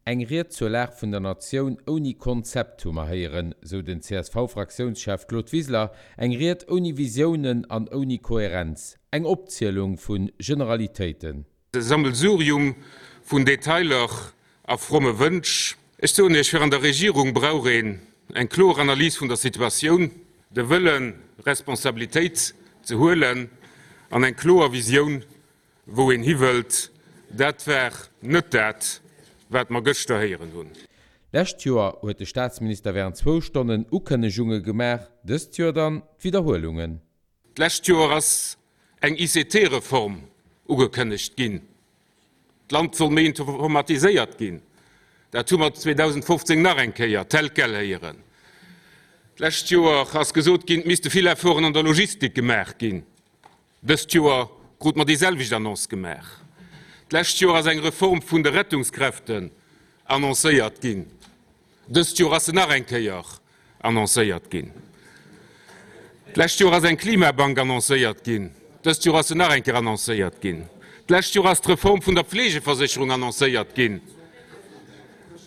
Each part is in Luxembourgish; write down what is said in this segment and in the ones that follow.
Eng Ried zur Lag vun der Natioun ouni Konzept hu mer héieren, sou den CSV-Fraktiounschef Claude Wiseler. Eng Ried ouni Visiounen an ouni Kohärenz. Eng Opzielung vu Generalitéiten. E Sammelsurium vun Detailer a fromme Wënsch. Ech soen Iech, fir an der Regierung brauch een eng kloer Analys vun der Situatioun, de Wëllen, Responsabilitéit ze huelen an eng kloer Visioun Wou een hiwëllt, dat war net dat, wat mer gëschter héieren hunn. Lescht Joer huet de Staatsminister wärend zwou Stonnen Ukënnegunge gemaach, dëst Joer dann d'Widderhuelungen. D'lescht Joer ass eng ICT-Reform ugekënnegt ginn. D'Land soll méi informatiséiert ginn. Dat hu mer 2015 nach eng Kéier tel quel héieren. D'lescht Joer ass gesot ginn, et misste vill Efforten an der Logistik gemaach ginn. Dëst Joer krute mer déi selwecht Annonce gemaach. D'lescht Joer ass eng Reform vun de Rettungskräften annoncéiert ginn. Dëst Joer ass se nach eng Kéier annoncéiert ginn. D'lescht Joer ass eng Klimabank annoncéiert ginn. Dëst Joer ass se nach eng Kéier annoncéiert ginn. D'lescht Joer ass d'Reform vun der Pflegeversécherung annoncéiert ginn.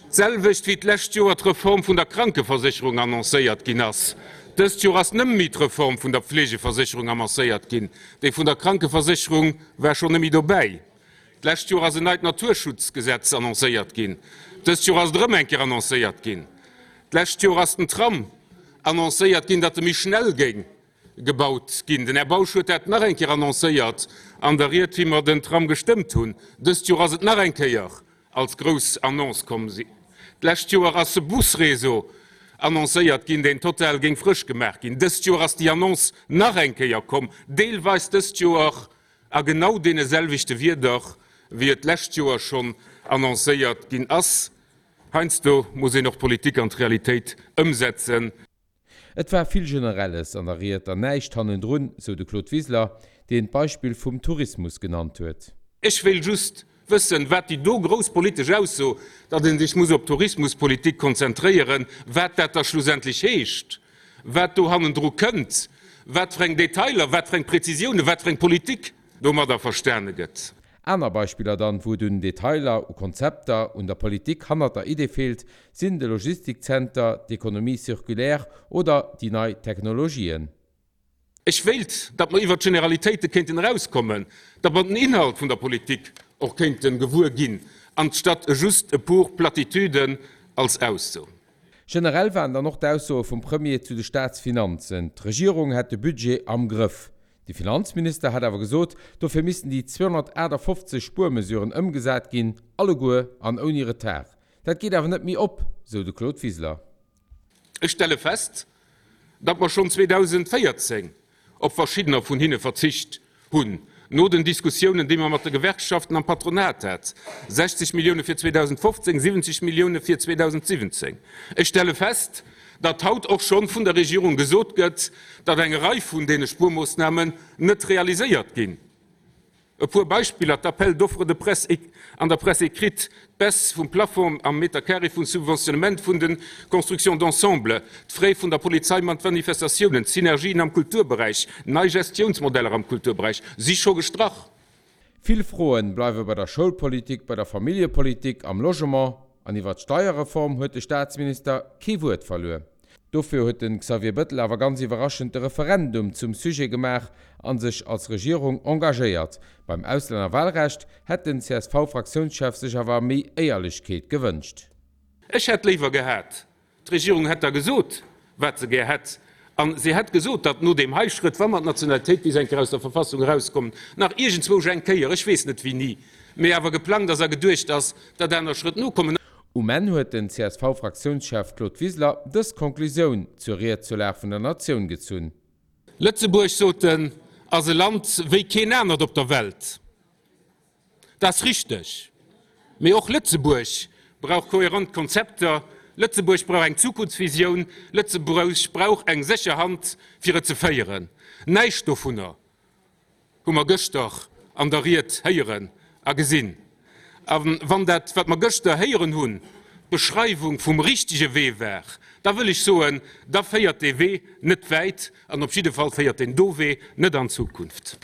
D'selwecht wéi d'lescht Joer d'Reform vun der Krankeversécherung annoncéiert ginn ass. Dëst Joer ass nëmme méi d'Reform vun der Pflegeversécherung annoncéiert ginn. Déi vun der Krankeversécherung war schonn nëmme dobäi. D'lescht Joer ass en neit Naturschutzgesetz annoncéiert ginn. Dëst Joer ass et erëm eng Kéier annoncéiert ginn. D'lescht Joer ass den Tram annoncéiert ginn, datt e méi schnell géing gebaut ginn. Den Här Bausch huet dat nach eng Kéier annoncéiert an der Ried, wéi mer den Tram gestëmmt hunn. Dëst Joer ass et nach eng Kéier als grouss Annonce komm. D'lescht Joer ass e Busréseau annoncéiert ginn, deen total géing frësch gemaach ginn. Dëst Joer ass déi Annonce nach eng Kéier komm, deelweis dëst Joer a genau deene selwechte Wierder, wéi et d'lescht Joer schonn annoncéiert ginn ass. Heiansdo muss een och d'Politik an d'Realitéit ëmsetzen. Et war vill Generelles an der Ried an näischt hannendrun, sou de Claude Wiseler, deen d'Beispill vum Tourismus genannt huet. Ech wéilt just wëssen, wat déi do grouss politesch Ausso, datt ee sech muss op d'Tourismuspolitik konzentréieren, wat dat da schlussendlech heescht, wat do hannendru kënnt, wat fir eng Detailer, wat fir eng Präzisiounen, wat fir eng Politik domadder verstane gëtt. Aner Beispiller dann, wou et un Detailer, u Konzepter, un der Politik hannert der Idee feelt, sinn de Logistikzenter, d'Economie circulaire oder déi nei Technologien. Ech wéilt, datt mer iwwert d'Generalitéite kéinten erauskommen, datt mer den Inhalt vun der Politik och kéinte gewuer ginn, anstatt just e puer Platitüden als Ausso. Generell waren dann och d'Aussoe vum Premier zu de Staatsfinanzen, d'Regierung hätt de Budget am Grëff. De Finanzminister hat awer gesot, dofir missten déi 258 Spuermesuren ëmgesat ginn, alleguer an ouni Retard. Dat geet awer net méi op, sou de Claude Wiseler. Ech stelle fest, datt mer schonn 2014 op verschiddener vun hinne verzicht hunn, no den Diskussiounen, déi mer mat de Gewerkschaften am Patronat hat, 60 Millioune fir 2015, 70 Millioune fir 2017. Ech stelle fest, datt haut och schonn vun der Regierung gesot gëtt, datt eng Rei vun deene Spuermoossnamen net realiséiert ginn. E puer Beispiller, d'Appels d'offres de presse an der Presse écrite, d'Baisse vum Plafond am Meter carré vum Subventionnement vun de Constructions d'ensemble, d'Frais vun der Polizei mat Manifestatiounen, d'Synergien am Kulturberäich, nei Gestiounsmodeller am Kulturberäich si scho gestrach. Vill Froen bleiwe bei der Schoulpolitik, bei der Familljepolitik, am Logement an iwwer d'Steierreform huet de Staatsminister kee Wuert verluer. Dofir huet de Xavier Bëttel awer ganz iwwerraschend de Referendum zum Sujet gemaach a sech als Regierung engagéiert. Beim Auslännerwahlrecht hätt den CSV-Fraktiounschef sech awer méi Éierlechkeet gewënscht. Ech hätt léiwer gehat, D'Regierung hätt da gesot, wat se gär hätt, a se hätt gesot, datt no deem hei Schrëtt, wa mer d'Nationalitéit bis eng Kéier aus der Verfassung erauskommen, nach iergendzwousch eng Kéier, ech weess net wéini, mee awer geplangt ass a geduecht ass, datt aner Schrëtt nokommen. Um Enn huet den CSV-Fraktiounschef Claude Wiseler dës Konklusioun zur Ried zur Lag vun der Natioun gezunn. Lëtzebuerg, sot en, ass e Land wéi keen anert op der Welt. Dat ass richteg, mee och Lëtzebuerg brauch kohärent Konzepter, Lëtzebuerg brauch eng Zukunftsvisioun, Lëtzebuerg brauch eng sécher Hand, fir et ze féieren. Näischt dovunner hu mer gëschter an der Ried héieren a gesinn. A wann dat, wat mer gëschter héieren hunn, d'Beschreiwung vum richtege Wee war, da wëll ech soen, da féiert dee Wee net wäit an op jidde Fall féiert deen do Wee net an d'Zukunft.